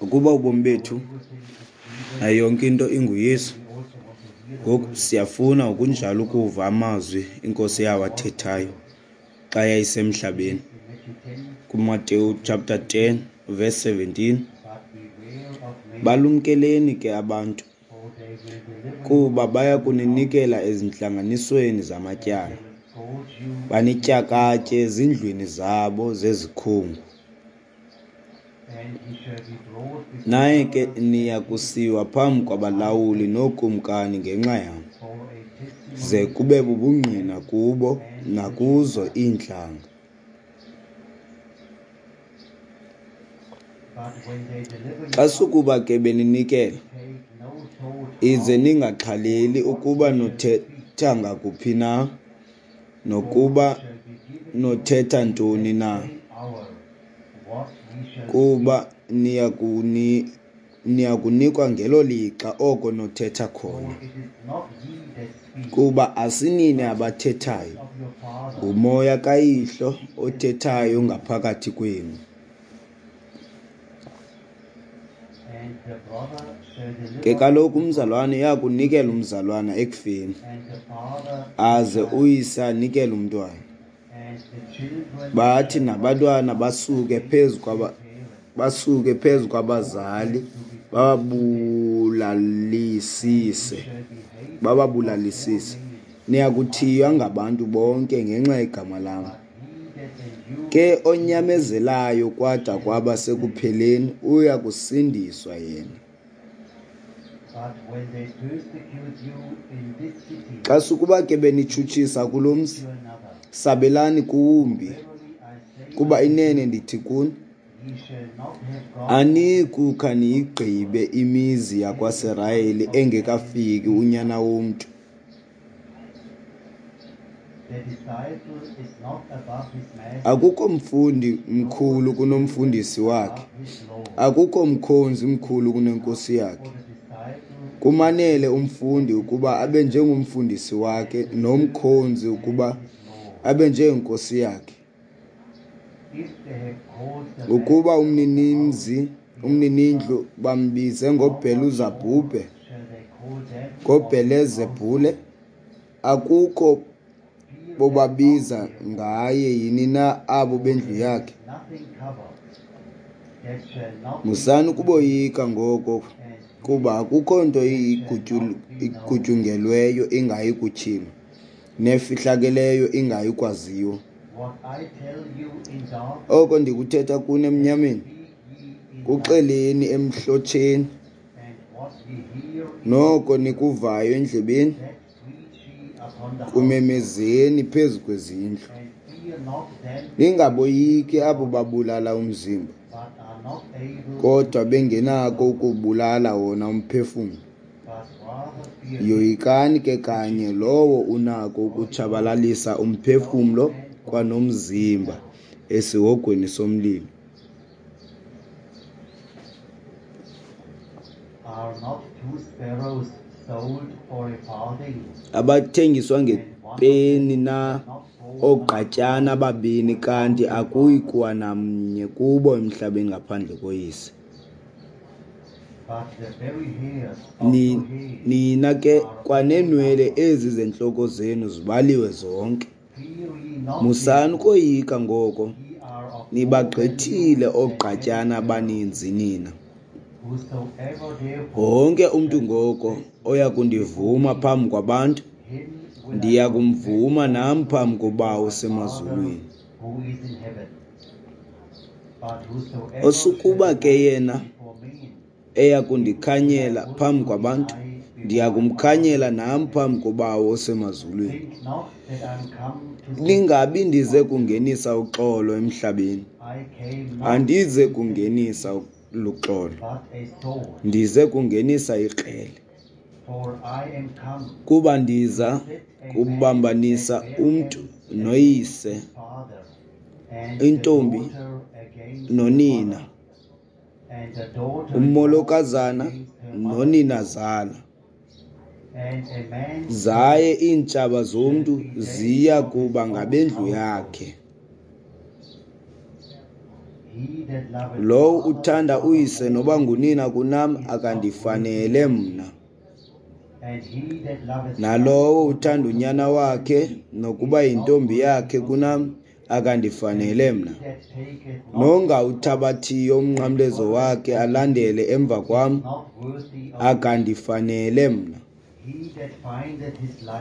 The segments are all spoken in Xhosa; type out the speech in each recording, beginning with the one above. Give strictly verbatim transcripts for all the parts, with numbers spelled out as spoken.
Ukuba ubomi bethu nayo yonke into inguYesu, ngoku siyafuna ngokunjalo ukuva amazwi iNkosi yawathethayo xa yayisemhlabeni. KuMateyu chapter ten verse seventeen, balumkeleni ke abantu, kuba baya kuninikela ezintlanganisweni zamatyala, banityakatye ezindlwini zabo zezikhungu. Naye ke niya kusiwa phambi kwabalawuli nookumkani ngenxa yam, ze kube bubungqina kubo nakuzo iintlanga. Xa sukuba ke beninikela, ize ningaxhaleli ukuba nothetha ngakuphi na, nokuba nothetha ntoni na, kuba niya niya kunikwa ngelo lixa oko nothetha khona. Kuba asinini abathethayo, nguMoya kaYihlo othethayo ngaphakathi kwenu. Ke kaloku umzalwana uya kunikela umzalwana ekufeni, aze uyise anikele umntwana. Bathi nabantwana basuke phezu kwaba basuke phezu kwabazali bababulalisise bababulalisise. Niya kuthiywa ngabantu bonke ngenxa yegama lam. Ke onyamezelayo kwada kwaba sekupheleni uya kusindiswa yena. Xa sukuba ke benitshutshisa kulo mzi, sabelani kuwumbi, kuba inene ndithi kuni, aniyi kukha niyigqibe imizi yakwaSirayeli engekafiki uNyana woMntu. Akukho mfundi mkhulu kunomfundisi wakhe, akukho mkhonzi mkhulu kunenkosi yakhe. Kumanele umfundi ukuba abe njengomfundisi wakhe, nomkhonzi ukuba abe njengenkosi yakhe. Ukuba umninimzi umninindlu bambize ngoBheluzabhubhe, ngoBhelezebhule, akukho bobabiza ngaye yini na abo bendlu yakhe? Musani ukuboyika ngoko, kuba akukho nto igutyungelweyo ingayi kutyhilwa, nefihlakeleyo ingayi kwaziwa. Oko ndikuthetha kuni emnyameni, kuxeleni emhlotsheni, noko nikuvayo endlebeni, kumemezeni phezu kwezindlu. Ningaboyiki abo babulala umzimba, kodwa bengenako ukubulala wona umphefumlo. Yoyikani ke kanye lowo unako ukutshabalalisa umphefumlo kwanomzimba esihogweni somlilo. Abathengiswa ngepeni na oogqatyana ababini, kanti akuyi kuwa namnye kubo emhlabeni ngaphandle koYise? Nina ke kwaneenwele ezi zentloko zenu zibaliwe zonke. Musani ukoyika ngoko, nibagqithile oogqatyana abaninzi nina. Wonke umntu ngoko oya kundivuma phambi kwabantu, ndiya kumvuma nam phambi koBawo osemazulwini. Osukuba ke yena eya kundikhanyela phambi kwabantu, ndiya kumkhanyela nam phambi koBawo osemazulwini. Ningabi ndize kungenisa uxolo emhlabeni, andize kungenisa luxolo, ndize kungenisa ikrele. Kuba ndiza kubambanisa umntu noyise, intombi nonina, umolokazana noninazala. Zaye iintshaba zomntu ziya kuba ngabendlu yakhe. Lowo uthanda uyise noba ngunina kunam akandifanele mna. Nalowo uthanda unyana wakhe nokuba yintombi yakhe kunam akandifanele mna. Nongawuthabathiyo umnqamlezo wakhe alandele emva kwam akandifanele mna.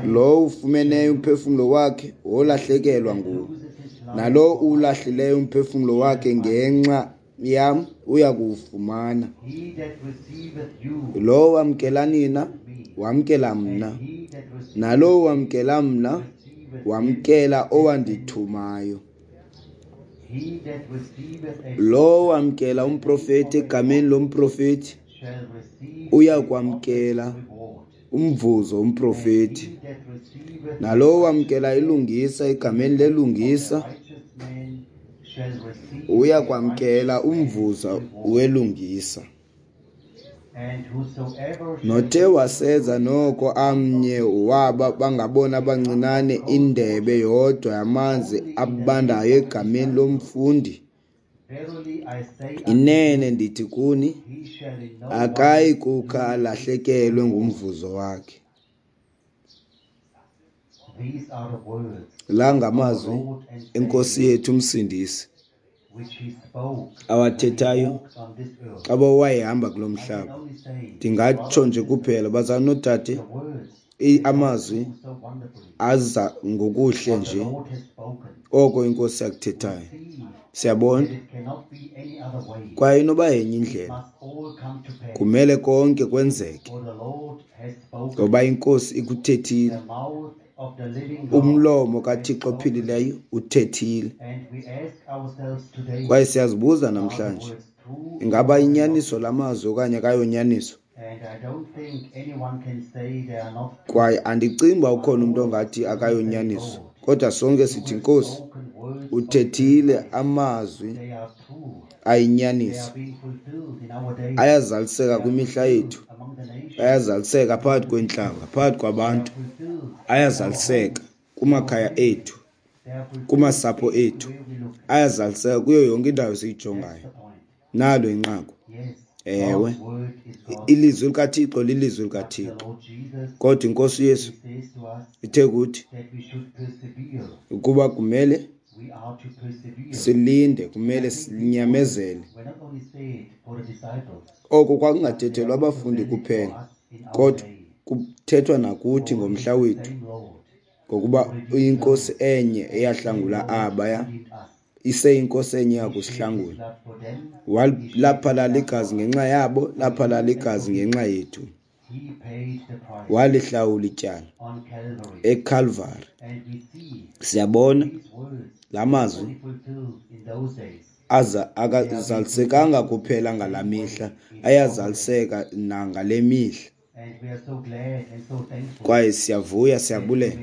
Lowo ufumeneyo umphefumlo wakhe wolahlekelwa nguwo, nalowo uwulahlileyo umphefumlo wakhe ngenxa yam uya kuwufumana. Lowo wamkela nina wamkela mna, nalowo wamkela mna wamkela owandithumayo. Lowo wamkela umprofeti egameni lomprofeti uya kwamkela umvuzo womprofeti. Nalowo wamkela ilungisa egameni lelungisa uya kwamkela umvuzo welungisa. Nothe waseza noko amnye waba bangabona bancinane indebe yodwa yamanzi abandayo egameni lomfundi, inene ndithi kuni, akayi kukha alahlekelwe ngumvuzo wakhe. La ngamazwi eNkosi yethu uMsindisi awathethayo xa wayehamba kulo mhlaba. Ndingatsho nje kuphela, bazalwane noodade, amazwi aza ngokuhle nje oko iNkosi yakuthethayo. Siyabona kwaye inoba yenye indlela, kumele konke kwenzeke ngoba iNkosi ikuthethile. Umlomo kaThixo ophilileyo uthethile. Kwaye siyazibuza namhlanje, ingaba inyaniso lamazwi okanye akayonyaniso? Kwaye andicingi uba ukhona umntu ongathi akayonyaniso, kodwa sonke sithi Nkosi uthethile amazwi ayinyaniso, ayazaliseka kwimihla yethu, ayazaliseka phakathi kweentlanga, phakathi kwabantu, ayazaliseka kumakhaya ethu, kumasapho ethu, ayazaliseka kuyo yonke indawo esiyijongayo. Nalo inqaku. Ewe, ilizwi likaThixo lilizwi likaThixo, kodwa iNkosi uYesu ithe kuthi ukuba kumele silinde, kumele sinyamezele. Oko kwakungathethelwa abafundi kuphela, kodwa kuthethwa nakuthi ngomhla wethu, ngokuba iNkosi enye eyahlangula abaya iseyinkosi enye yakusihlangula. Laphalala igazi ngenxa yabo, laphalala igazi ngenxa yethu. Walihlawula ityala eKalvari. Siyabona la mazwi aza akazalisekanga kuphela ngalaa mihla, ayazaliseka nangale mihla. Kwaye siyavuya, siyabulela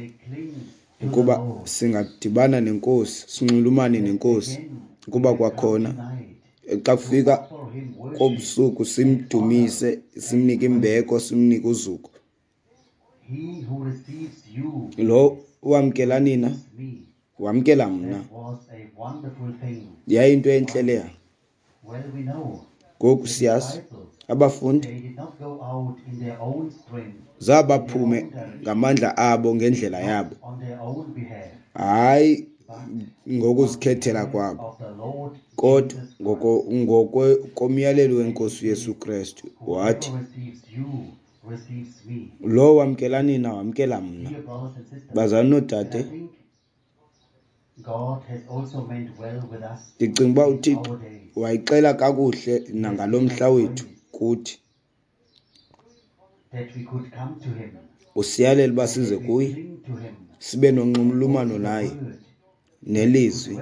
ukuba singadibana neNkosi, sinxulumane neNkosi, ukuba kwakhona xa kufika kobusuku simdumise, simnike imbeko, simnike uzuko. Lo wamkela nina wamkela mna. Yayinto entle leya. Ngoku siyazi abafundi zabaphume ngamandla abo ngendlela yabo, hayi ngokuzikhethela kwabo, kodwa ngokomyalelo weNkosi uYesu Kristu. Wathi, lo wamkela nina wamkela mna. Bazalwane noodade, ndicinga uba uThixo wayixela kakuhle nangalo mhla wethu kuthi. Usiyalela uba size kuye, sibe nonxulumano naye nelizwi,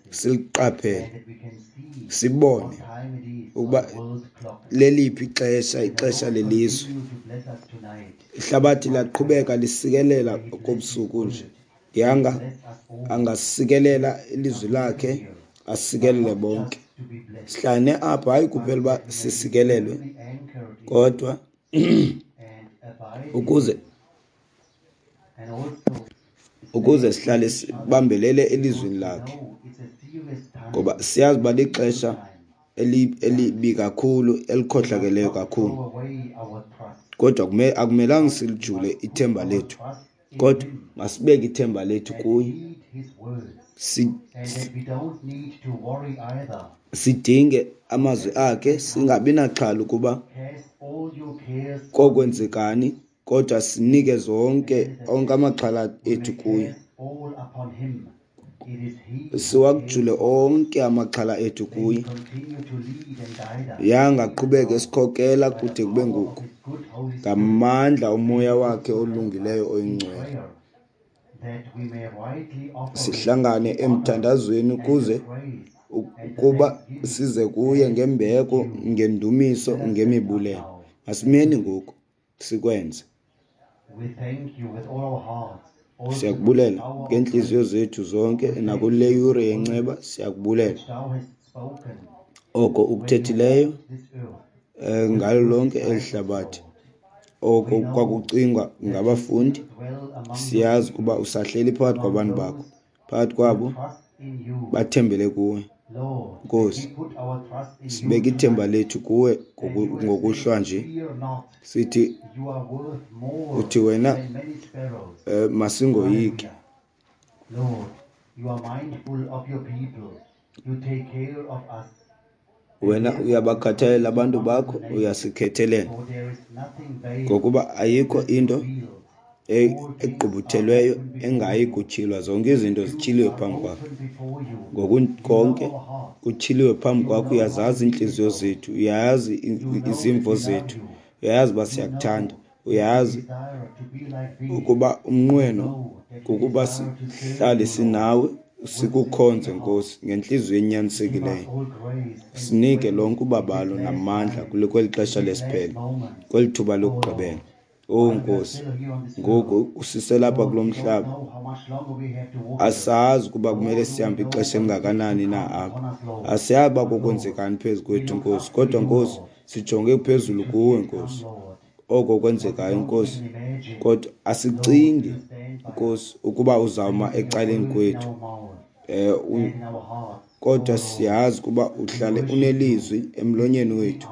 siliqaphele, sibone ukuba leliphi ixesha, ixesha lelizwe. Ihlabathi liyaqhubeka lisikelela kobusuku nje. Ndiyanga angasikelela ilizwi lakhe, asikelele bonke. Sihlane apha hayi kuphela uba sisikelelwe, kodwa ukuze ukuze sihlale sibambelele elizwini lakhe. Ngoba siyazi uba lixesha elibi kakhulu, elikhohlakeleyo kakhulu. Kodwa akumelanga silijule ithemba lethu, kodwa masibeke ithemba lethu kuye. Sidinge amazwi akhe, singabi naxhala ukuba kokwenzekani, kodwa sinike zonke onke amaxhala ethu kuye. Siwajule onke amaxhala ethu kuye. Yangaqhubeka esikhokela kude kube ngoku ngamandla omoya wakhe olungileyo oyingcwele. Sihlangane emthandazweni ukuze ukuba size kuye ngembeko, ngendumiso, ngemibulelo. Masimeni ngoku sikwenze. Siyakubulela ngeentliziyo zethu zonke nakule yure yenceba, siyakubulela oko ukuthethileyo ngalo lonke eli hlabathi, oko kwakucingwa ngabafundi. Siyazi ukuba usahleli phakathi kwabantu bakho, phakathi kwabo bathembele kuwe. Nkosi, sibeke ithemba lethu kuwe ngokuhlwa nje, sithi uthi wena eh, masingoyiki. Wena uyabakhathalela abantu bakho, uyasikhethelela, ngokuba ayikho into egqubuthelweyo engayi kutyhilwa. Zonke izinto zityhiliwe phambi kwakho, ngoku konke kutyhiliwe phambi kwakho. Uyazazi iintliziyo zethu, uyayazi izimvo zethu, uyayazi uba siyakuthanda, uyayazi ukuba umnqweno kukuba sihlale sinawe, sikukhonze Nkosi ngentliziyo enyanisekileyo. Sinike lonke ubabalo namandla kweli xesha lesiphelo, kweli thuba lokugqibela. Oh Nkosi, ngoku usiselapha kulo mhlaba, asazi ukuba kumele sihambe ixesha elingakanani na apha, asiyazi uba kokwenzekani phezu kwethu Nkosi, kodwa Nkosi sijonge phezulu kuwe Nkosi, oko kwenzekayo Nkosi, kodwa asicingi Nkosi ukuba uzawuma ecaleni kwethu, eh kodwa siyazi ukuba uhlale unelizwi emlonyeni wethu.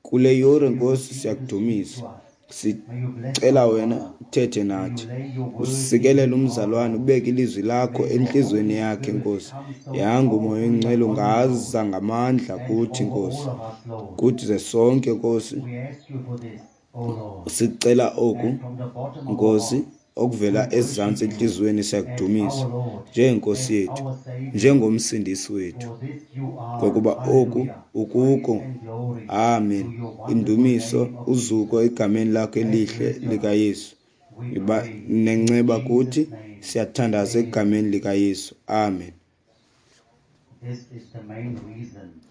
Kule yure Nkosi siyakudumisa, sicela wena uthethe nathi, usikelele umzalwane, ubeke ilizwi lakho entliziyweni yakhe Nkosi. Yanga umoya oyingcwele ungaza ngamandla kuthi Nkosi, kuthi ze sonke Nkosi. Sicela oku Nkosi okuvela ezantsi entliziyweni, siyakudumisa njengenkosi yethu, njengomsindisi wethu, ngokuba oku ukuko. Amen. Indumiso, uzuko egameni lakho elihle likaYesu. Iba nenceba kuthi, siyathandaza egameni likaYesu. Amen.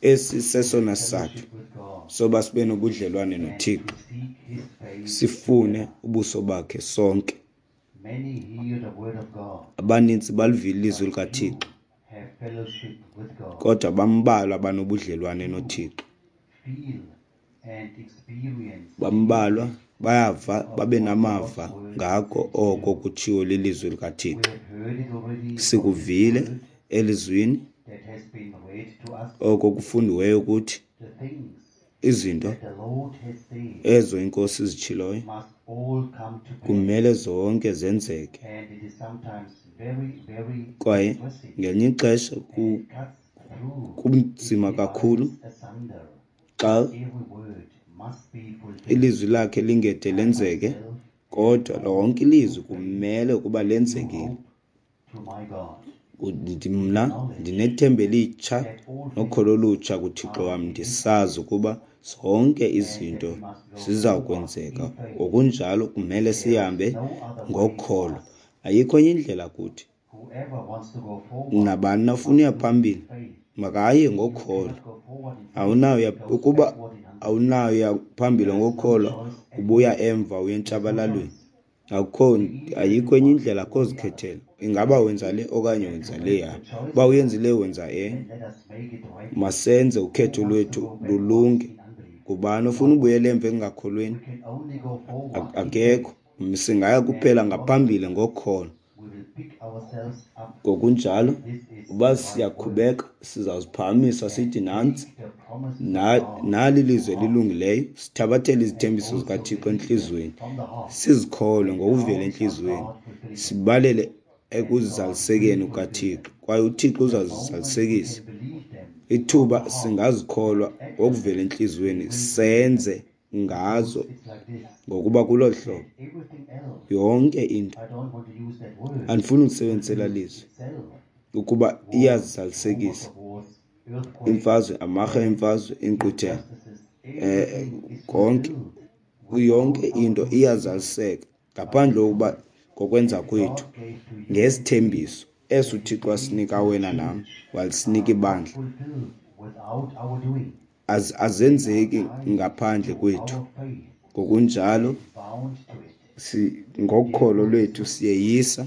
Esi sesona sizathu soba sibe nobudlelwane noThixo, sifune ubuso bakhe sonke. Abanintsi balivile ilizwi likaThixo, kodwa bambalwa banobudlelwane noThixo. Bambalwa bayava babe namava ngako oko kutshiwo lilizwi likaThixo. Sikuvile elizwini oko kufundiweyo kuthi, izinto ezo iNkosi izitshiloyo kumele zonke zenzeke. Kwaye ngelinye ixesha kunzima kakhulu xa ilizwi lakhe lingede lenzeke, kodwa lonke ilizwi kumele ukuba lenzekile. Mna ndinethemba elitsha nokholo olutsha kuThixo wam, ndisazi ukuba zonke izinto ziza kwenzeka. Ngokunjalo kumele sihambe ngokholo, ayikho enye indlela kuthi. Nabani na ofuna uya phambili makaye ngokholo. Awunayo ukuba awunayo phambili ngokholo, ubuya emva uye entshabalalweni. Akukho, ayikho enye indlela, akho zikhethelo. Ingaba wenza le okanye wenza leya. Uba uyenzile wenza enye. Masenze ukhetho lwethu lulunge. Ngubani ofuna ubuyela emva ekungakholweni? Akekho. Singaya kuphela ngaphambili ngokholo. Ngokunjalo, uba siyakhubeka, sizawuziphakamisa sithi nantsi, nali ilizwi elilungileyo, sithabathele izithembiso zikaThixo entliziyweni, sizikholwe ngokuvela entliziyweni, sibalele ekuzalisekeni kukaThixo, kwaye uThixo uzazizalisekisa. Ithuba singazikholwa ngokuvela entliziyweni, senze ngazo, ngokuba kuloo hlobo yonke into, andifuni ukusebenzisa lizwi, ukuba iyazizalisekisa. Imfazwe, amarhe emfazwe, inkqwithela, eh konke, yonke into iyazaliseka ngaphandle kokuba ngokwenza kwethu ngesithembiso eso uThixo wasinika wena nam, walisinika ibandla, azenzeki ngaphandle kwethu. Ngokunjalo ngokholo lwethu siyeyisa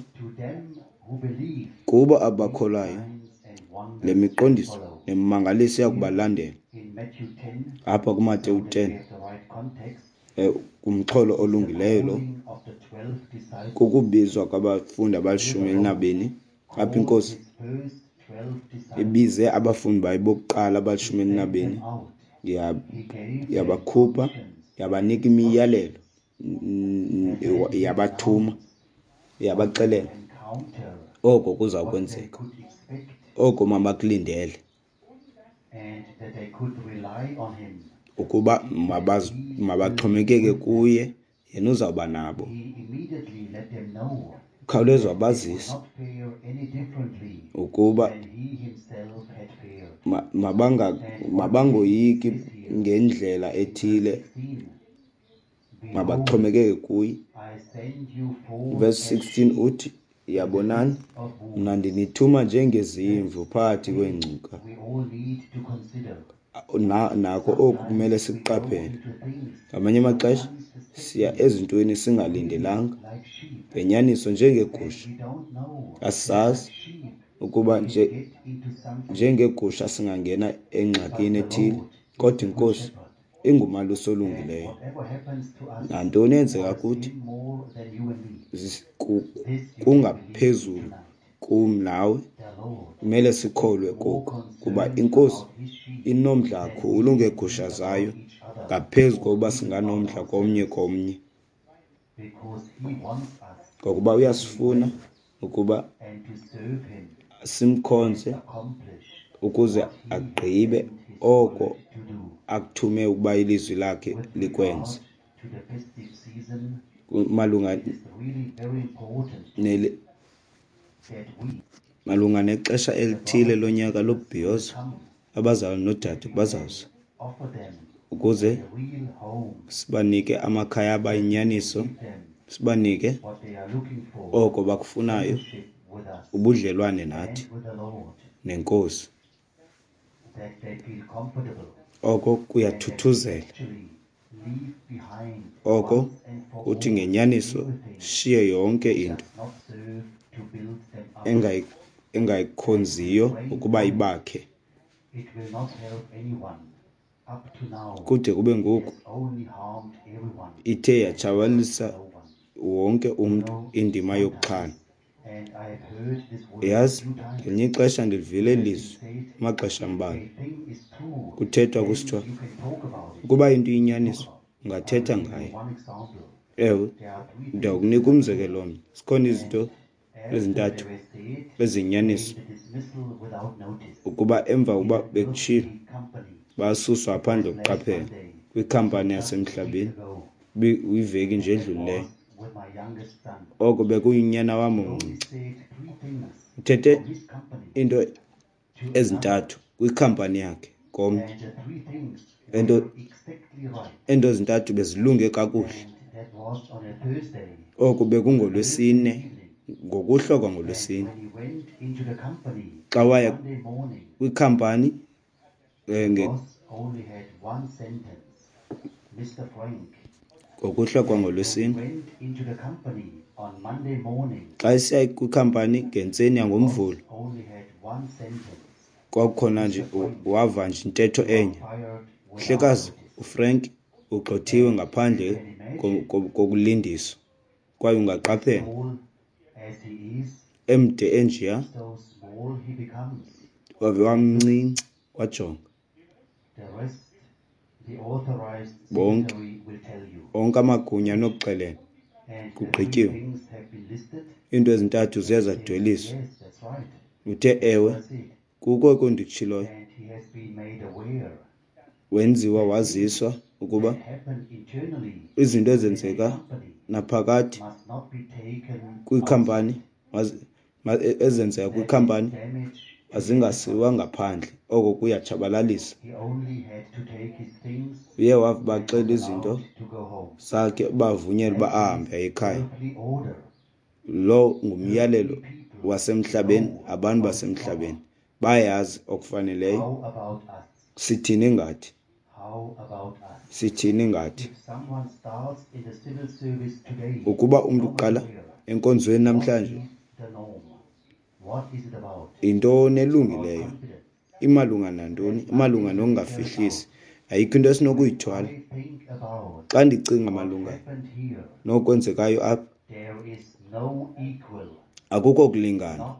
kubo abakholwayo le miqondiso nemimangaliso iyakubalandela. Apha kuMateyu ten, kumxholo olungileyo lo, kukubizwa kwabafundi abalishumi elinabini. Apha iNkosi ibize abafundi bayo bokuqala abalishumi elinabini, yabakhupha, yabanika imiyalelo, yabathuma, yabaxelela oko kuza kwenzeka, oko mabakulindele, ukuba mabaxhomekeke kuye, yena uzawuba nabo. Ukhawuleza wabazisa ukuba mabangoyiki ngendlela ethile, mabaxhomekeke kuye. Verse sixteen uthi, yabonani, mna ndinithuma njengezimvu phakathi kweengcuka. Nako oku kumele sikuqaphele. Ngamanye amaxesha siya ezintweni singalindelanga, ngenyaniso njengeegusha. Asisazi ukuba nje njengeegusha singangena engxakini ethile, kodwa iNkosi ingumalusi olungileyo. Nantoni eyenzeka kuthi kungaphezulu kum nawe, kumele sikholwe koku, kuba iNkosi inomdla kakhulu ngeegusha zayo ngaphezu kokuba singanomdla komnye komnye, ngokuba uyasifuna ukuba simkhonze ukuze agqibe oko akuthume ukuba ilizwi lakhe likwenze. Malunga nele malunga nexesha elithile lonyaka lobhiyozo, abazalwana noodade bazawuza ukuze sibanike amakhaya abayinyaniso, sibanike oko bakufunayo, ubudlelwane nathi neNkosi. Oko kuyathuthuzela, oko kuthi ngenyaniso shiye yonke into engayikhonziyo ukuba ibakhe. Kude kube ngoku ithe yatshabalalisa wonke umntu indima yokuxhana. Yazi, ngelinye ixesha ndilivile eli lizwi amaxesha ambalwa, kuthethwa kusithiwa ukuba into iyinyaniso ungathetha ngayo. Ewe, ndawukunika umzekelo omnye. Zikhona izinto ezintathu eziyinyaniso ukuba emva kokuba bekutshilo basuswa ngaphandle kokuqaphela kwikhampani yasemhlabeni iveki nje edlulileyo. Oko bekuyinyana wam omncinci. Uthethe into ezintathu kwikhampani yakhe komnye. Ento ento ezintathu bezilunge kakuhle. Oku bekungolwesine, ngokuhlwa kwangolwesine. Xa waya kwikhampani ngokuhlwa kwangolwesine, xa esiya kwikhampani ngentseni yangoMvulo, kwakukhona nje wava nje intetho enye. Mhlekazi uFrank ugxothiwe ngaphandle kokulindiswa, kwaye ungaqaphela Emde enjeya, wave wamncinci, wajonga. Bonke, onke amagunya anokuxelela, kugqityiwe. Iinto ezintathu ziye zadweliswa. Uthe ewe, kukho oko ndikutshiloyo. Wenziwa waziswa ukuba izinto ezenzeka naphakathi kwikhampani, ezenzeka kwikhampani azingasiwa ngaphandle, oko kuyatshabalalisa. Uye wabaxela izinto zakhe, bavunyelwa uba ahambe aye ekhaya. Lo ngumyalelo wasemhlabeni, abantu basemhlabeni bayazi okufaneleyo. Sithini ngathi? Sithini ngathi? Ukuba umntu uqala enkonzweni namhlanje, yintoni elungileyo? Imalunga nantoni? Imalunga nokungafihlisi. Ayikho into esinokuyithwala. Xa ndicinga malunga nokwenzekayo apha, akukho kulingana,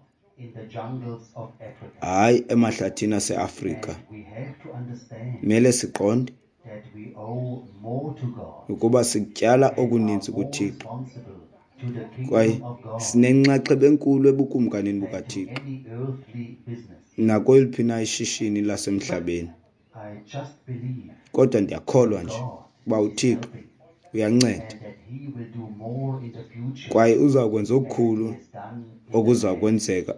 hayi emahlathini aseAfrika. Kumele siqonde ukuba sityala okuninzi kuThixo kwaye sinenxaxheba enkulu ebukumkanini bukaThixo nakweliphi na ishishini lasemhlabeni. Kodwa ndiyakholwa nje uba uThixo uyanceda kwaye uza kwenza okukhulu okuza kwenzeka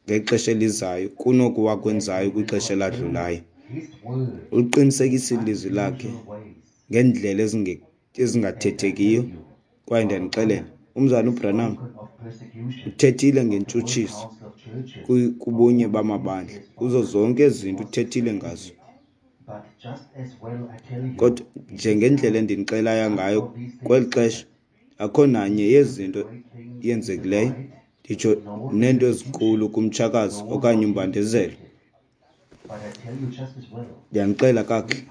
ngexesha elizayo kunoku wakwenzayo kwixesha eladlulayo. Uliqinisekisile ilizwi lakhe ngeendlela ezingathethekiyo. Kwaye ndiyanixelela, umzalwana uBranham uthethile ngentshutshiso kubunye bamabandla, kuzo zonke ezi zinto uthethile ngazo. Kodwa njengendlela endinixelayo ngayo kweli xesha, akho nanye yezi zinto yenzekileyo, nditsho neento ezinkulu kumtshakazi okanye umbandezelo. Ndiyanixela kakuhle,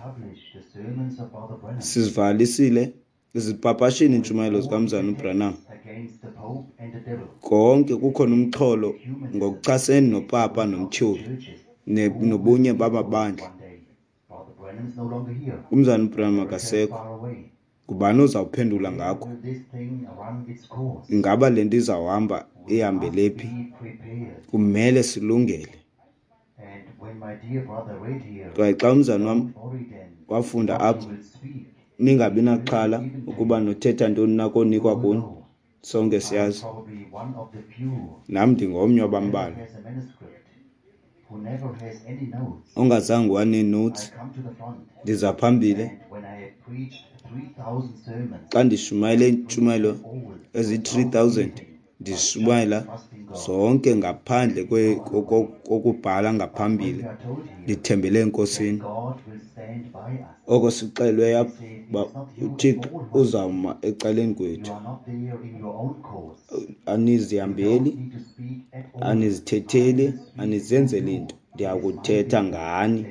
sizivalisile, zipapashile iintshumayelo zikamzalwana uBranham. Konke kukhona umxholo ngokuchasene nopapa nomtyholi nobunye bamabandla. Umzalwana uBranham akasekho. Ngubani ozawuphendula ngakho? Ingaba le nto izawuhamba ihambele phi? Kumele silungele. Kwaye xa umzalwana wam wafunda apha, ningabi naxhala ukuba nothetha ntoni na konikwa kuni. Sonke siyazi. Nam ndingomnye wabambalwa ongazange wanee-notes. Ndiza phambili xa ndishumayele iintshumayelo eziyi-three thousand, ndishumayela zonke ngaphandle kokubhala ngaphambili, ndithembele eNkosini. Oko sixelwe apha uba uThixo uzawuma ecaleni kwethu. Anizihambeli, anizithetheli, anizenzeli nto, ndiyakuthetha ngani.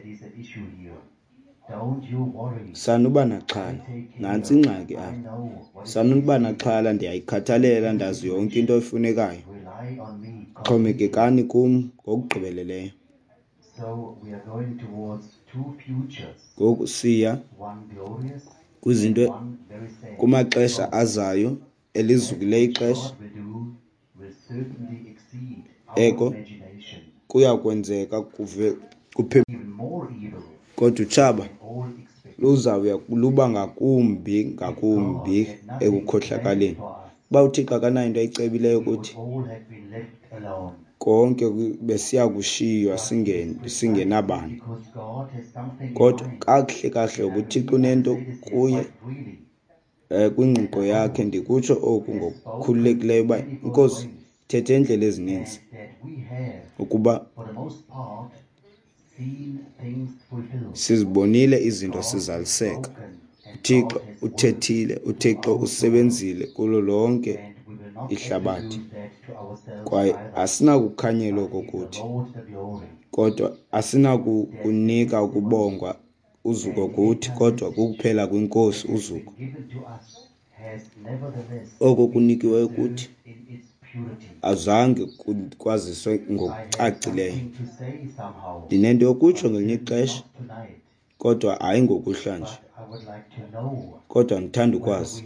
Sanuba naxhala, nantsi ingxaki apha. Sanuba naxhala, ndiyayikhathalela, ndazi yonke into efunekayo. Xhomekekani kum ngokugqibeleleyo. Ngoku siya kwizinto kumaxesha azayo, elizukileyo ixesha. Eko kuya kwenzeka kuve kuphe, kodwa utshaba luzawuya luba ngakumbi ngakumbi ekukhohlakaleni. Uba uThixo akanayo into ayicebileyo kuthi, konke besiya kushiywa singenabani. Kodwa kakuhle kakuhle uThixo unento kuye um kwingqiqo yakhe. Ndikutsho oku ngokukhululekileyo uba iNkosi ithethe iindlela ezininzi ukuba sizibonile izinto sizaliseka. uThixo uthethile, uThixo usebenzile kulo lonke ihlabathi, kwaye asinakukhanyela oko kuthi, kodwa asinakukunika ukubongwa uzuko kuthi, kodwa kukuphela kwiNkosi uzuko. Oko kunikiweyo kuthi Azange kwaziswe ngokucacileyo. Ndinento yokutsho ngelinye ixesha, kodwa hayi ngokuhlwa nje. Kodwa ndithanda ukwazi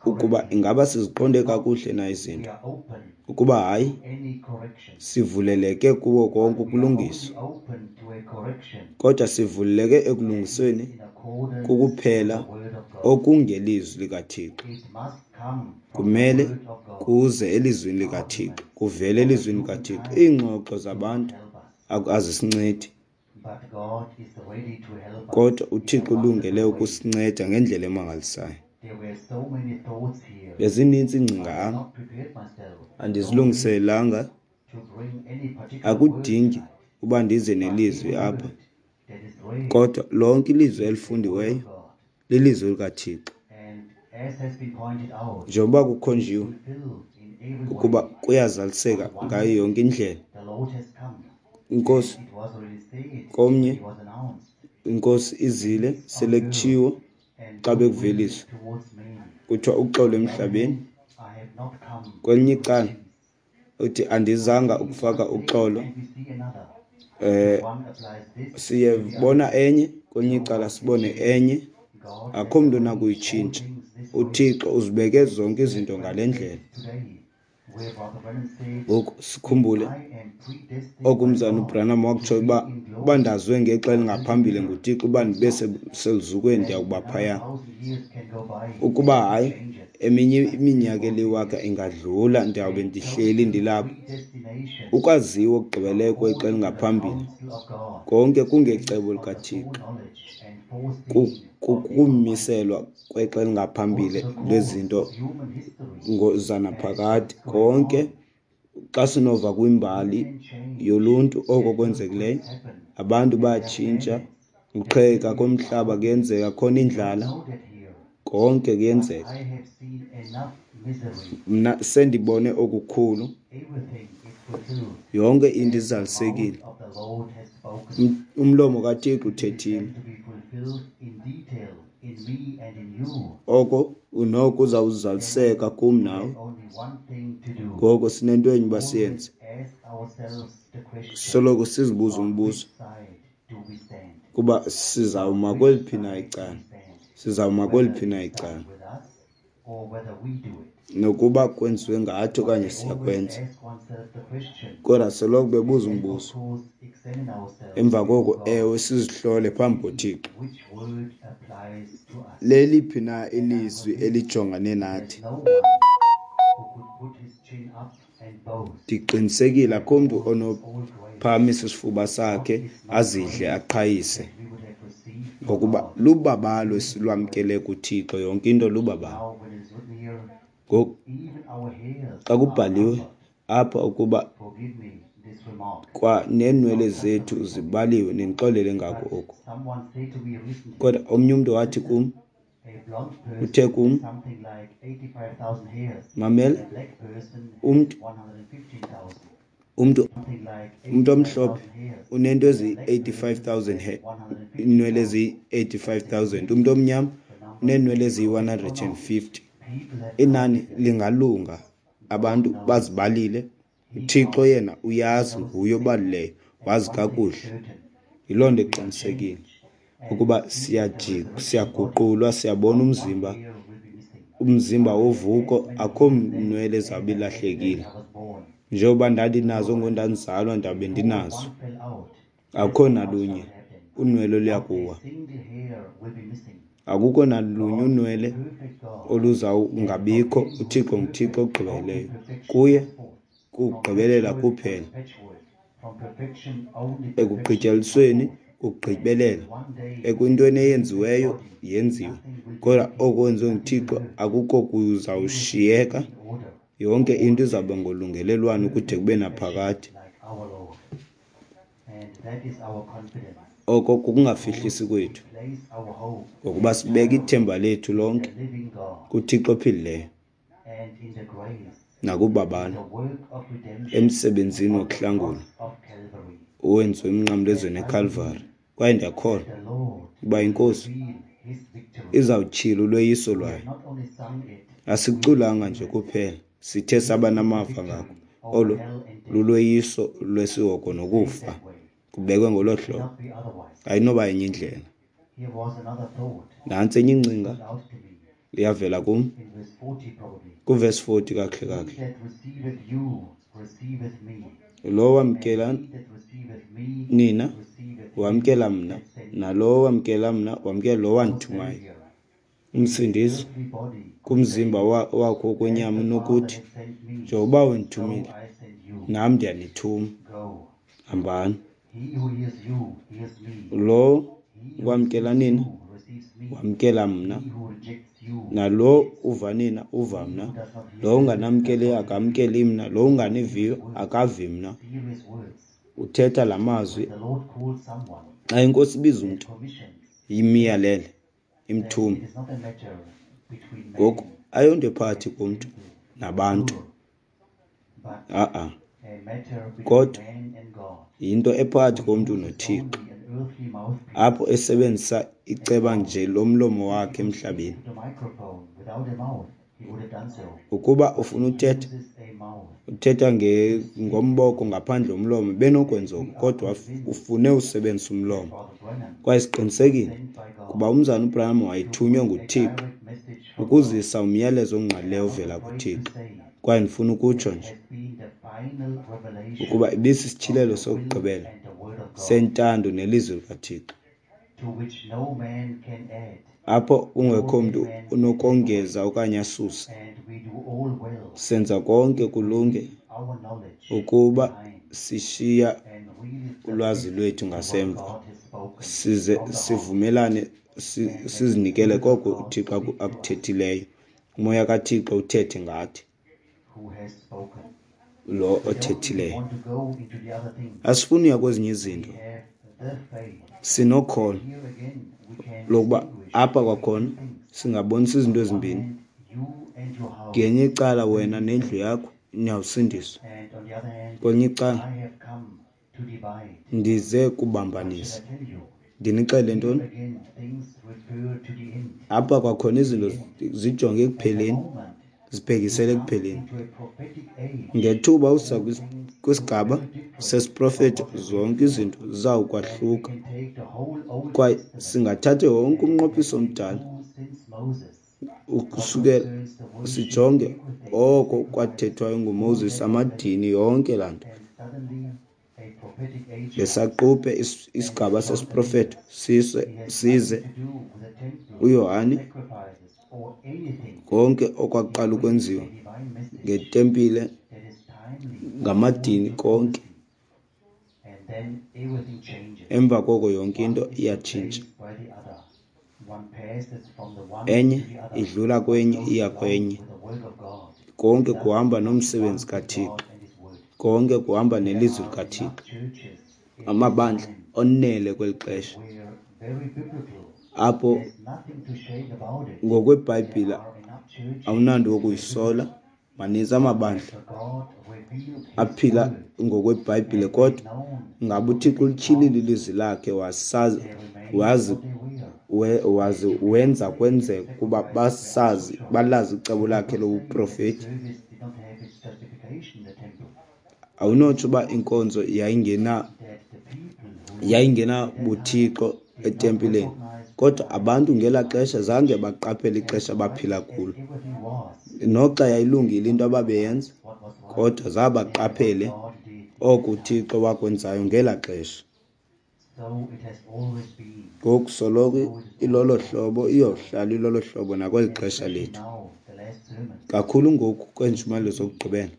ukuba ingaba siziqonde kakuhle na izinto. Ukuba hayi, sivuleleke kuwo konke ukulungiswa. Kodwa sivuleleke ekulungisweni kukuphela okungelizwi likaThixo. Kumele kuze elizwini likaThixo, kuvele elizwini likaThixo. Iingxoxo zabantu azisincedi, kodwa uThixo ulungele ukusinceda ngendlela emangalisayo. Bezininzi iingcinga apha, andizilungiselelanga. Akudingi uba ndize nelizwi apha, kodwa lonke ilizwi elifundiweyo lilizwi likaThixo. Njengoba kukhonjiwe ukuba kuyazaliseka ngayo yonke indlela. Inkosi komnye, inkosi izile sele kutshiwo xa bekuveliswa kuthiwa uxolo emhlabeni. Kwelinye icala uthi andizanga ukufaka uxolo. Eh siyebona enye, kwelinye icala sibone enye. Akho mntu onakuyitshintsha. UThixo uzibeke zonke izinto ngale ndlela. Ngoku sikhumbule oku umzana uBranham wakutsho uba uba ndazwe ngexa elingaphambili nguThixo uba ndibe seluzukweni ndiyakuba phaya. Ukuba hayi, eminye iminyaka eliwaka ingadlula ndiyawube ndihleli ndilapha. Ukwaziwa okugqibeleyo kwexa elingaphambili konke kungecebo likaThixo. Kukumiselwa kwexa elingaphambili lwezinto zanaphakade. Konke xa sinova kwimbali yoluntu oko kwenzekileyo, abantu bayatshintsha, ukuqhekeka komhlaba kuyenzeka, khona indlala, konke kuyenzeka. Mna sendibone okukhulu, yonke into izalisekile. Umlomo kaThixo uthethile. Oko noko uzawuzaliseka kum nawe. Ngoko sinento enye uba siyenze, soloko sizibuza umbuzo kuba sizawuma kweliphi na icala, sizawuma kweliphi na icala, nokuba kwenziwe ngathi okanye siyakwenza. Kodwa soloko bebuza umbuzo, emva koko ewe sizihlole phambi koThixo. Leliphi na ilizwi elijongane nathi? Ndiqinisekile akho mntu onophakamisa isifuba sakhe azidle aqhayise, ngokuba lubabalo esilwamkele kuThixo. Yonke into lubabalo. Ngoku xa kubhaliwe apha ukuba kwa neenwele zethu zibaliwe, nindixolele ngako oku. Kodwa omnye umntu wathi kum, uthe kum, mamela, umntu umntu umntu omhlophe unento eziyi-eighty-five thousand iinwele eziyi-eighty-five thousand, umntu omnyama uneenwele eziyi-one hundred and fifty. Inani lingalunga, abantu bazibalile. uThixo yena uyazi, nguye obalileyo, wazi kakuhle. Yiloo nto eqinisekile ukuba siyaguqulwa, siyabona umzimba, umzimba wovuko, akho nwele zawube ilahlekile. Njengoba ndandinazo ngondandizalwa, ndawube ndinazo. Akukho nalunye unwele oluyakuwa. Akukho nalunye unwele oluzawungabikho. uThixo nguThixo ogqibeleleyo. Kuye kugqibelela kuphela. Ekugqityelisweni kugqibelela. Ekwintweni eyenziweyo yenziwe. Kodwa oko kwenziwe nguThixo akukho kuzawushiyeka. Yonke into izawuba ngolungelelwano kude kube naphakade. Oko kukungafihlisi kwethu, ngokuba sibeka ithemba lethu lonke kuThixo ophilileyo nakubabalo emsebenzini wokuhlangula owenziwe emnqamlezweni eKalvari. Kwaye ndiyakholwa ukuba iNkosi izawutyhila ulweyiso lwayo. Asiculanga nje kuphela, sithe saba namava ngako. Olo lulweyiso lwesihogo nokufa. Kubekwe ngolo hlobo, ayinoba yenye indlela. Nantsi enye ingcinga iyavela kum kuvesi forty kakuhle kakuhle. Lowo wamkela nina wamkela mna, nalowo wamkela mna wamkela lowo wandithumayo. Umsindisi kumzimba wakho wokwenyama unokuthi, njengoba undithumile nam ndiyanithuma, hambani. Lo wamkela nina wamkela mna, nalo uva nina uva mna, lo unganamkeliyo akamkeli mna, lo unganiviyo akavi mna. Uthetha la mazwi xa iNkosi ibiza umntu, imiyalele, imthume. Ngoku ayonto ephakathi komntu nabantu, a-a, kodwa yinto ephakathi komntu noThixo, apho esebenzisa iceba nje lomlomo wakhe emhlabeni. Ukuba ufuna uthetha, uthetha ngomboko ngaphandle komlomo, benokwenza oko, kodwa ufune usebenzisa umlomo. Kwaye siqinisekile kuba umzana uBranham wayethunywe nguThixo ukuzisa umyalezo ongqalileyo ovela kuThixo. Kwaye ndifuna ukutsho nje ukuba ibisisityhilelo sokugqibela sentando nelizwi likaThixo, apho kungekho mntu unokongeza okanye asuse. Senza konke kulunge ukuba sishiya ulwazi lwethu ngasemva, size sivumelane, sizinikele koko uThixo akuthethileyo. Umoya kaThixo uthethe ngathi, lo othethileyo. Asifuni uya kwezinye izinto. Sinokholo lokuba apha kwakhona singabonisa izinto ezimbini. Ngenye icala wena nendlu yakho niyawusindiswa, kwelinye icala ndize kubambanisa. Ndinixelele ntoni? Apha kwakhona izinto zijonge ekupheleni, zibhekisele ekupheleni. Ngethuba usa kwisigaba sesiprofeto, zonke izinto zizawukwahluka. Kwaye singathatha wonke umnqophiso omdala ukusukela sijonge oko kwathethwayo nguMoses, amadini, yonke laa nto. Ngesaquphe isigaba sesiprofeto size uYohane, konke okwaqala ukwenziwa ngetempile, ngamadini, konke. Emva koko yonke into iyatshintsha. Enye idlula kwenye iya kwenye. Konke kuhamba nomsebenzi kaThixo. Konke kuhamba nelizwi likaThixo. Amabandla onele kweli xesha apho ngokweBhayibhile awunanto wokuyisola. Maninzi amabandla aphila ngokweBhayibhile, kodwa ngaba uThixo ulityhilile ilizwi lakhe wasazi, wazi, wazi wenza kwenzeka ukuba basazi, balazi icebo lakhe lobuprofeti? Awunotsho uba inkonzo yayingena yayingena buThixo etempileni, kodwa abantu ngelaa xesha zange baqaphele ixesha abaphila kulo. Noxa yayilungile into ababeyenza, kodwa zabaqaphele oko uThixo wakwenzayo ngelaa xesha. Ngoku soloko ilolo hlobo, iyohlala ilolo hlobo nakweli xesha lethu. Kakhulu ngoku kweentshumayelo zokugqibela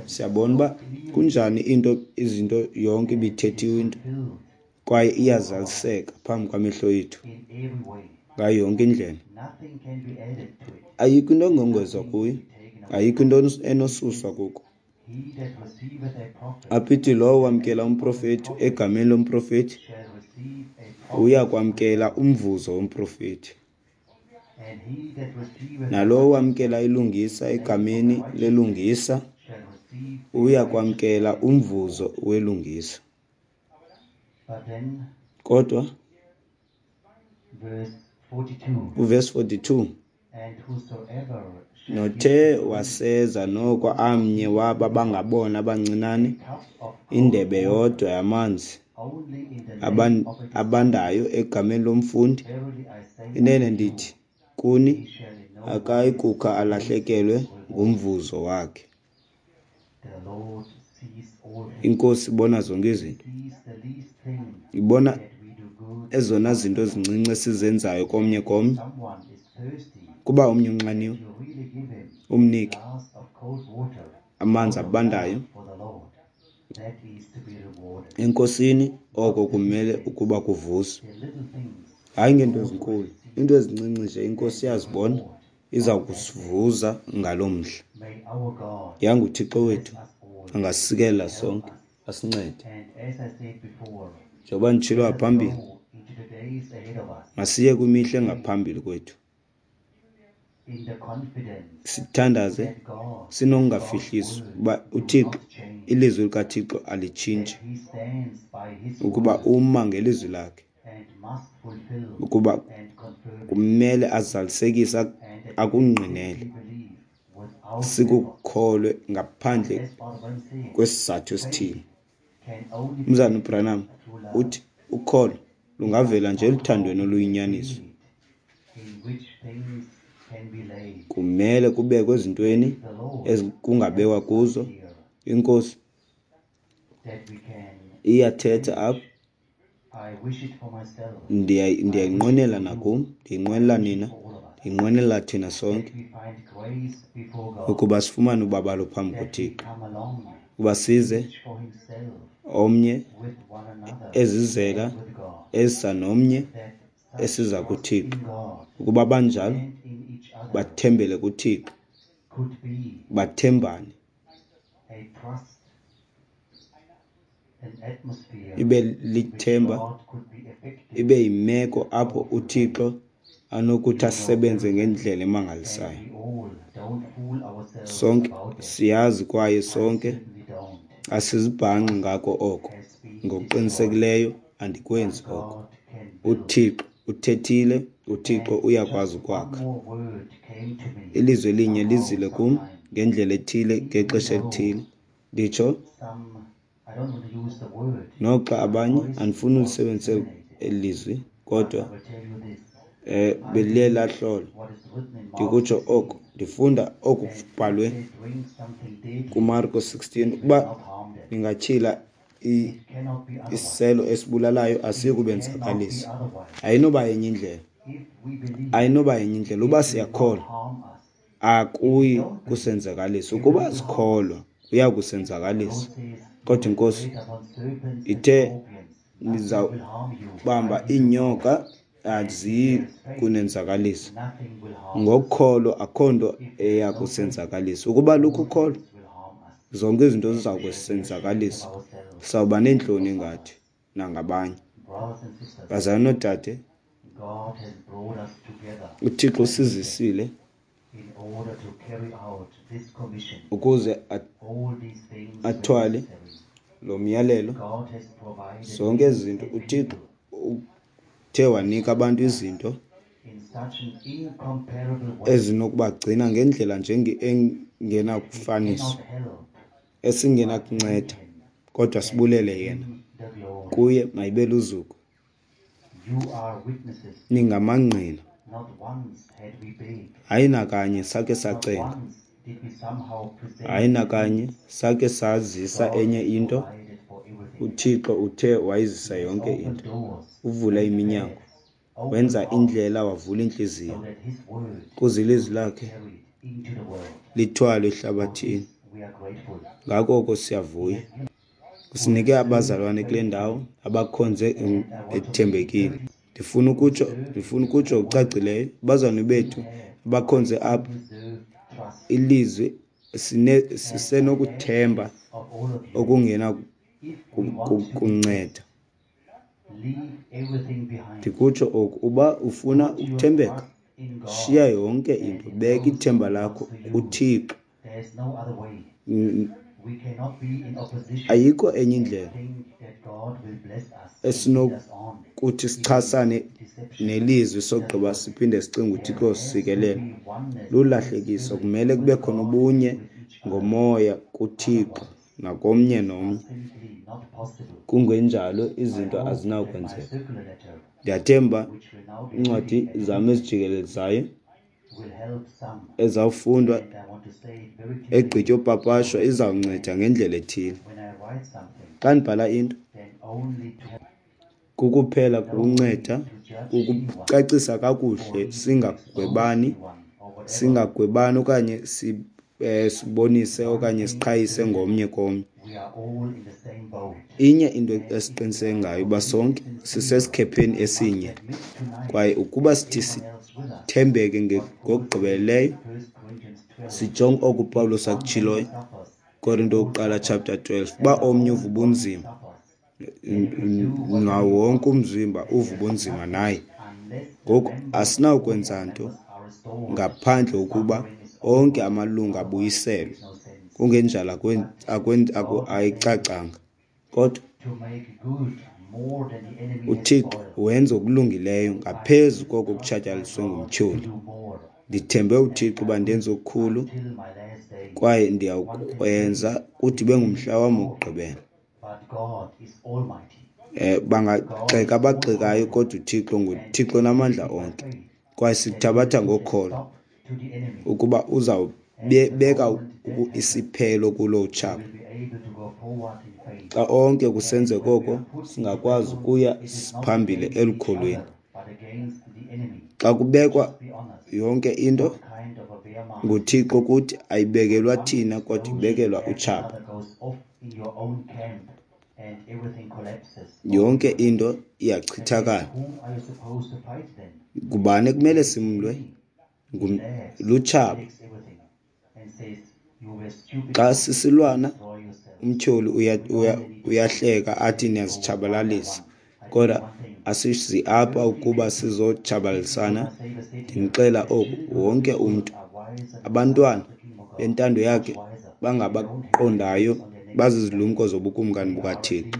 siyabona uba kunjani into izinto yonke ibithethiwe into kwaye iyazaliseka phambi kwamehlo ethu ngayo yonke indlela. Ayikho into engongezwa kuyo, ayikho into enosuswa kuko. Apha ithi lowo wamkela umprofeti egameni lomprofeti uya kwamkela umvuzo womprofeti, nalowo wamkela ilungisa egameni lelungisa uya kwamkela umvuzo welungisa. Kodwa uvesi forty-two, Nothe waseza noko amnye waba bangabona bancinane indebe yodwa yamanzi abandayo egameni lomfundi, inene ndithi kuni, akayi kukha alahlekelwe ngumvuzo wakhe. INkosi ibona zonke izinto. Ibona ezona zinto zincinci esizenzayo komnye komnye. Kuba omnye unxaniwe, umnike amanzi abandayo eNkosini, oko kumele ukuba kuvuzwe. Hayi ngeento ezinkulu, iinto ezincinci nje iNkosi iyazibona, iza kusivuza ngaloo mhla. Yanga uThixo wethu angasikelela sonke, asincede. Njengoba nditshilo ngaphambili, masiye kwimihla engaphambili kwethu, sithandaze sinokungafihliswa uba uThixo, ilizwi likaThixo alitshintshi, ukuba uma ngelizwi lakhe, ukuba kumele azalisekise akungqinele, sikukholwe ngaphandle kwesizathu esithile. Umzalwana uBranham uthi ukholo lungavela nje eluthandweni oluyinyaniso. Kumele kubekwe ezintweni ekungabekwa kuzo. INkosi iyathetha apha. Ndiyayinqwenela nakum, ndiyinqwenela nina, ndiyinqwenela thina sonke, ukuba sifumane ubabalo phambi koThixo, ukuba size omnye ezizela ezisa nomnye esiza kuThixo, ukuba banjalo bathembele kuThixo, bathembane, ibe lithemba, ibe yimeko apho uThixo anokuthi asebenze ngendlela emangalisayo. Sonke siyazi kwaye sonke asizibhanxi ngako oko. Ngokuqinisekileyo andikwenzi oko. UThixo uthethile, uThixo uyakwazi ukwakha. Ilizwi elinye lizile kum ngendlela ethile ngexesha elithile. Nditsho noxa abanye, andifuni ulisebenzise eli lizwi, kodwa eh beliye lahlolwa. Ndikutsho oko, ndifunda oku kubhalwe kuMarko sixteen, ukuba ningatyhila isiselo esibulalayo asiyi kubenzakalisa. Ayinoba yenye indlela, ayinoba yenye indlela. Uba siyakholwa akuyi kusenzakalisa, ukuba sikholwa kuya kusenzakalisa. Kodwa iNkosi ithe nizawubamba iinyoka aziyi kunenzakalisa. Ngokholo akho nto eya kusenzakalisa. Ukuba lukho ukholo, zonke izinto ziza kusenzakalisa. Sawuba neentloni ngathi nangabanye. Bazalwane noodade, uThixo usizisile ukuze athwale lo myalelo. Zonke ezi zinto uThixo uthe wanika abantu izinto ezinokubagcina ngendlela nje engenakufaniswa, esingenakunceda, kodwa sibulele yena. Kuye mayibe luzuko. Ningamangqina. Hayi nakanye sakhe sacenga, hayi nakanye sakhe sazisa enye into. UThixo uthe wayizisa yonke into. Uvula iminyango, wenza indlela, wavula intliziyo ukuze ilizwi lakhe lithwalwe ehlabathini. Ngako oko siyavuya. Usinike abazalwane kule ndawo abakhonze bethembekile. Ndifuna ukutsho, ndifuna ukutsho ngokucacileyo, abazalwane bethu abakhonze apha, ilizwi sine sisenokuthemba okungena kunceda. Ndikutsho oku, uba ufuna ukuthembeka, shiya yonke into, beka ithemba lakho kuThixo. Ayikho enye indlela kuthi sichasane nelizwi sogqiba siphinde sicinge uThixo usikelela. Lulahlekiso. Kumele kube khona ubunye ngomoya kuThixo nakomnye nomnye. Kungenjalo izinto azinawukwenzeka. Ndiyathemba iincwadi zam ezijikelezayo ezawufundwa egqityopapashwa izawunceda ngendlela ethile. Xa ndibhala into kukuphela kukunceda kukucacisa kakuhle, singagwebani, singagwebani okanye sibonise okanye siqhayise ngomnye komnye. Inye into esiqiniseke ngayo uba sonke sisesikhepheni esinye, kwaye ukuba sithi sithembeke ngokugqibeleleyo, sijonge oku uPawulos akutshiloyo, Korinto wokuqala chapter twelve, uba omnye uva ubunzima, nawo wonke umzimba uva ubunzima naye. Ngoku asinawukwenza nto ngaphandle kokuba onke amalungu abuyiselwe, kungenjalo ayicacanga. Kodwa uThixo wenza okulungileyo ngaphezu koko kutshatyalaliswe ngumtyholi. Ndithembe uThixo uba ndenze okukhulu kwaye ndiyawukwenza kude ibe ngumhla wam wokugqibela. Eh bangagxeka abagxekayo, kodwa uThixo nguThixo onamandla onke, kwaye sikuthabatha ngokholo ukuba uzawubeka isiphelo kulo utshaba. Xa onke kusenzeka oko, singakwazi ukuya phambili elukholweni. Xa kubekwa yonke into nguThixo kuthi, ayibekelwa thina kodwa ibekelwa utshaba. Yonke into iyachithakala. Ngubani ekumele simlwe? Lutshaba. Xa sisilwana umtyholi uyahleka athi niyazitshabalalisa, kodwa asizi apha ukuba sizotshabalalisana. Ndinixela oku, wonke umntu, abantwana bentando yakhe bangabaqondayo, bazizilumko zobukumkani bukaThixo.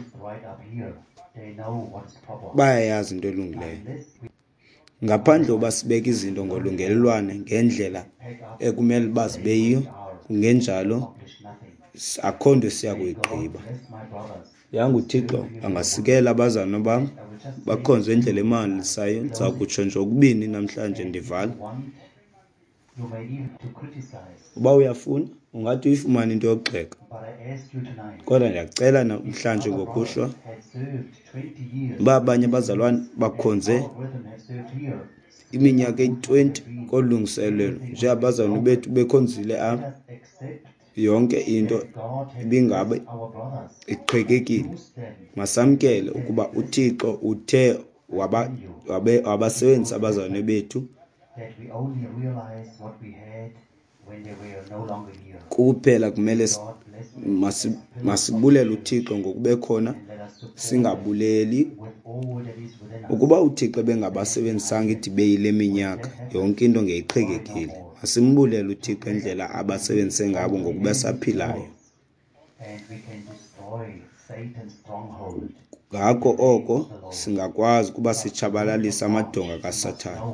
Bayayazi into elungileyo. Ngaphandle koba sibeke izinto ngolungelelwano ngendlela ekumele uba zibe yiyo, kungenjalo akho nto siya kuyigqiba. Yanga uThixo angasikela abazalwana bam bakhonze indlela emangalisayo. Ndiza kutsho nje okubini namhlanje ndivala. Uba uyafuna ungathi uyifumane into yokugxeka, kodwa ndiyacela namhlanje ngokuhlwa uba abanye abazalwane bakhonze iminyaka eyi-twenty kolu lungiselelo njengabazalwane bethu bekhonzile apha, yonke into ibingabe iqhekekile. Masamkele ukuba uThixo uthe wabasebenzisa abazalwane bethu kuphela. Kumele masibulele uThixo ngokube khona, singabuleli. Ukuba uThixo ebengabasebenzisanga idibe yile minyaka, yonke into ngeyiqhekekile. Masimbulele uThixo indlela abasebenzise ngabo ngokuba saphilayo. Ngako oko singakwazi ukuba sitshabalalise amadonga kaSathana.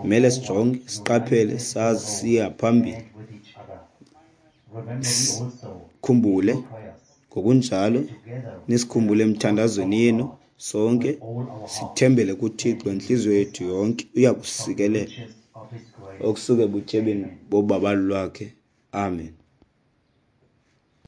Kumele sijonge, siqaphele, sazi siya phambili. Khumbule ngokunjalo nisikhumbule emthandazweni yenu sonke, sithembele kuThixo intliziyo yethu yonke, uya kusikelela okusuka ebutyebini bobabalo lwakhe. Amen.